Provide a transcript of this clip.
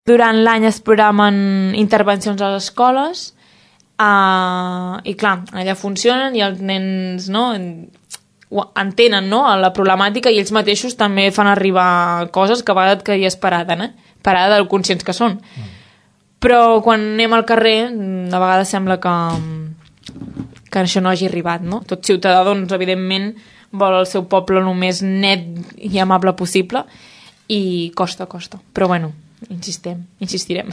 Durant l'any es programen intervencions a les escoles i clar, allà funcionen i els nens entenen la problemàtica i ells mateixos també fan arribar coses que a vegades queies parada, parada del conscients que són. Però quan anem al carrer a vegades sembla que això no hagi arribat, no? Tot ciutadà, doncs, evidentment vol el seu poble el més net i amable possible i costa, però bueno, insistirem.